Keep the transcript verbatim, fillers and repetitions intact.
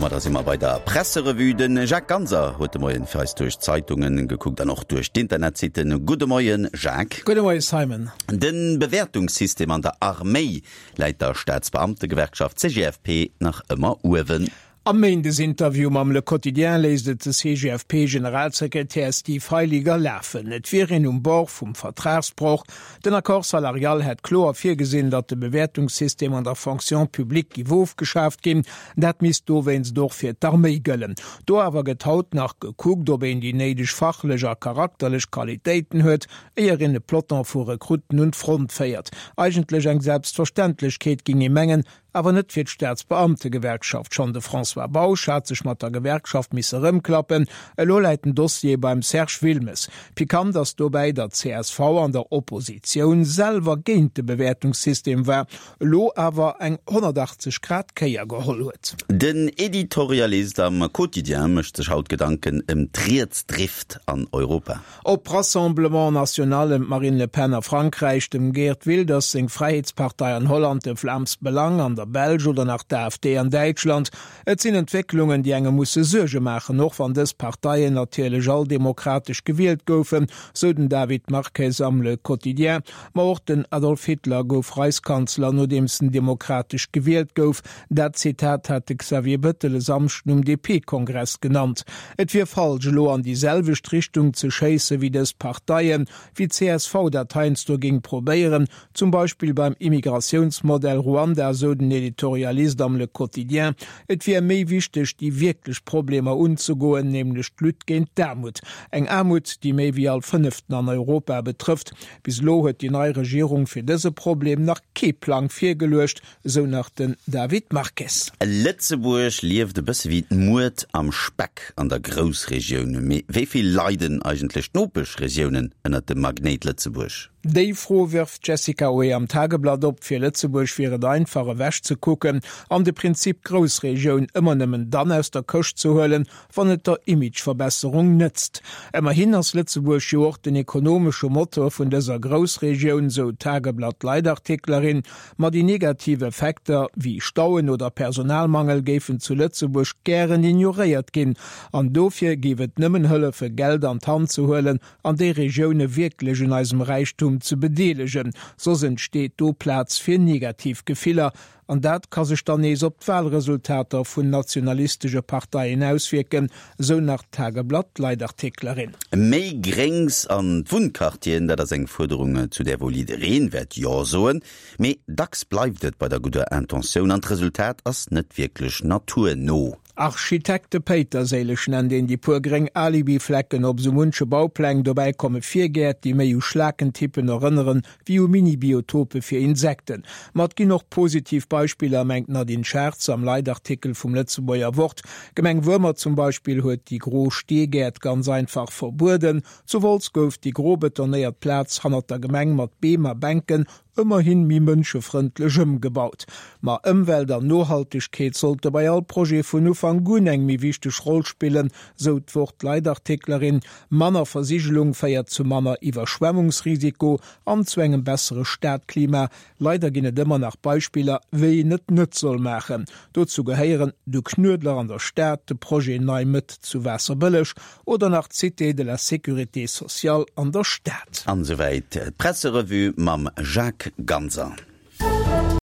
domadder si mer bei der Presserevue. De Jacques Ganser huet de Moien fir eis duerch d'Zeitungen gekuckt an och duerch d'Internetsitten. Gudde Moien, Jacques. Gudde Moien, Simon. De Bewäertungssystem an der Arméi läit der Staatsbeamtegewerkschaft C G F P nach ëmmer uewen. Am Méindesinterview mam Le Quotidien léisst et de C G F P-Generalsekretär Steve Heiliger lafen. Et wier een um Bord vum Vertragsbroch. Den Accord salarial hätt kloer virgesinn, datt de Bewäertungssystem an der Fonction publique géif ofgeschaaft ginn. Dat misst dowéinst och fir d'Arméi gëllen. Do awer gëtt haut nach gekuckt, ob een déi néideg fachlech a charakterlech Qualitéiten huet, éier een e Peloton vu Rekrutten un d'Front féiert. Eigentlech eng Selbstverständlechkeet, géing ee mengen, awer net fir d'Staatsbeamtegewerkschaft. Schonn de François Bausch hat sech mat der Gewerkschaft misse rëmklappen. Elo läit den Dossier beim Serge Wilmes. Pikant ass dobäi, datt d'C S V an der Oppositioun selwer géint de Bewäertungssystem war, elo awer eng honnertachtzeg Grad Kéier geholl huet. Den Editorialist am Quotidien mécht sech haut Gedanken ëm d'Rietsdrift an Europa. Ob Rassemblement National ëm d'Marine Le Pen a Frankräich, dem Geert Wilders seng Fräiheetspartei an Holland, de Vlaams Belang an der Belsch oder nach d'A F D an Däitschland. Et sinn Entwécklungen, déi engem musse Suerge maachen, och wann dës Parteien natierlech all demokratesch gewielt goufen, sou den David Marques am Le Quotidien. Ma och den Adolf Hitler gouf Reichskanzler, nodeems en demokratesch gewielt gouf. Dat Zitat hat de Xavier Bettel e Samschden um D P-Kongress genannt. Et wier falsch, elo an déi selwecht Richtung ze schéisse wéi dës Parteien, wéi d'C S V dat heiansdo géing probéieren, zum Beispill beim Immigratiounsmodell Ruanda, sou den Editorialist am Le Quotidien. Et wier méi wichteg, déi wierklech Problemer unzegoen, nämlech d'Lutte géint d'Aarmut. Eng Aarmut, déi méi wéi all Fënneften an Europa betrëfft. Bis elo huet déi nei Regierung fir dëse Problem nach kee Plang virgeluecht, sou nach den David Marques. Lëtzebuerg lieft e bësse wéi d'Muert am Speck an der Groussregioun. Mee wéi vill leiden eigentlech d'Nopeschregiounen ënnert dem Magnéit Lëtzebuerg? Déi Fro wërft d'Jessica Houé am Tageblatt op. Fir Lëtzebuerg wier et einfach ewech ze kucken an de Prinzip Groussregioun ëmmer nëmmen dann aus der Këscht ze huelen, wann et der Imageverbesserung nëtzt. Ëmmerhin ass Lëtzebuerg jo och den ekonomesche Motor vun dëser Groussregioun, sou d'Tageblatt-Leitartiklerin. Ma déi negativ Effekter wéi Stauen oder Personalmangel géifen zu Lëtzebuerg gären ignoréiert ginn. An dofir géif et nëmmen hëllefen, Geld an d'Hand ze huelen an déi Regioune wierklech un eisem Räichtum ze bedeelegen. Soss entsteet do Plaz fir negativ Gefiller, an dat ka sech dann nees op d'Walresultater vun nationalistesche Parteien auswierken, sou nach d'Tageblatt-Leitartiklerin. Méi Gréngs an d'Wunnquartieren, dat ass eng Fuerderung, zu där wuel jiddereen wäert Jo soen. Mee dacks bleift et bei der gudder Intentioun an d'Resultat ass net wierklech naturno. Architekte Péiterséileg nennt een déi puer gréng Alibiflecken op sou munche Baupläng. Dobäi komme Virgäert, déi méi u Schlakentippen erënneren wéi u Mini-Biotope fir Insekten. Ma et ginn och positiv Beispiller, mengt d'Nadine Schartz am Leitartikel vum Lëtzebuerger Wort. D'Gemeng Wuermer zum Beispill huet déi gro Steegäert ganz einfach verbueden. Zu Wolz gouf déi gro betonéiert Plaz hannert der Gemeng mat Beem a Bänken ëmmerhin méi mënschefrëndlech ëmgebaut. Ma Ëmwelt an Nohaltegkeet sollte bei all Projet vun Ufank un eng méi wichteg Roll spillen, sou d'Wort-Leitartiklerin. Manner Versigelung féiert zu manner Iwwerschwemmungsrisiko an zu engem bessere Stadklima. Leider ginn et ëmmer nach Beispiller, wéi een et net soll maachen. Dozou gehéieren de Knuedler an der Stad, de Projet Nei Mëtt zu Waasserbëlleg oder nach d'Cité de la Sécurité sociale an der Stad. An souwäit d'Presserevue mam Jacques Ganser.